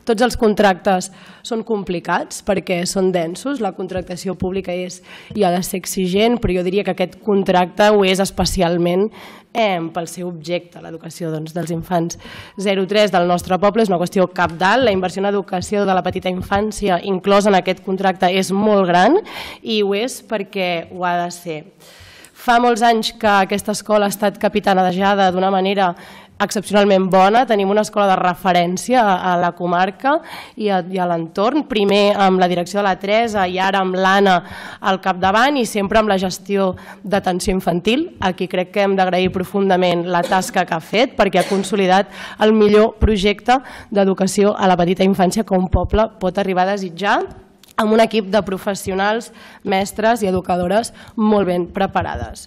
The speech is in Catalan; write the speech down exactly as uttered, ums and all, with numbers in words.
Tots els contractes són complicats perquè són densos, la contractació pública és i ha de ser exigent, però jo diria que aquest contracte ho és especialment pel seu objecte, l'educació dels infants zero tres del nostre poble és una qüestió cabdal. La inversió en educació de la petita infància inclosa en aquest contracte és molt gran i ho és perquè ho ha de ser. Fa molts anys que aquesta escola ha estat capitanejada d'una manera excepcionalment bona, tenim una escola de referència a la comarca i a l'entorn, primer amb la direcció de la Teresa i ara amb l'Anna al capdavant i sempre amb la gestió d'atenció infantil. Aquí crec que hem d'agrair profundament la tasca que ha fet perquè ha consolidat el millor projecte d'educació a la petita infància que un poble pot arribar a desitjar, amb un equip de professionals, mestres i educadores molt ben preparades.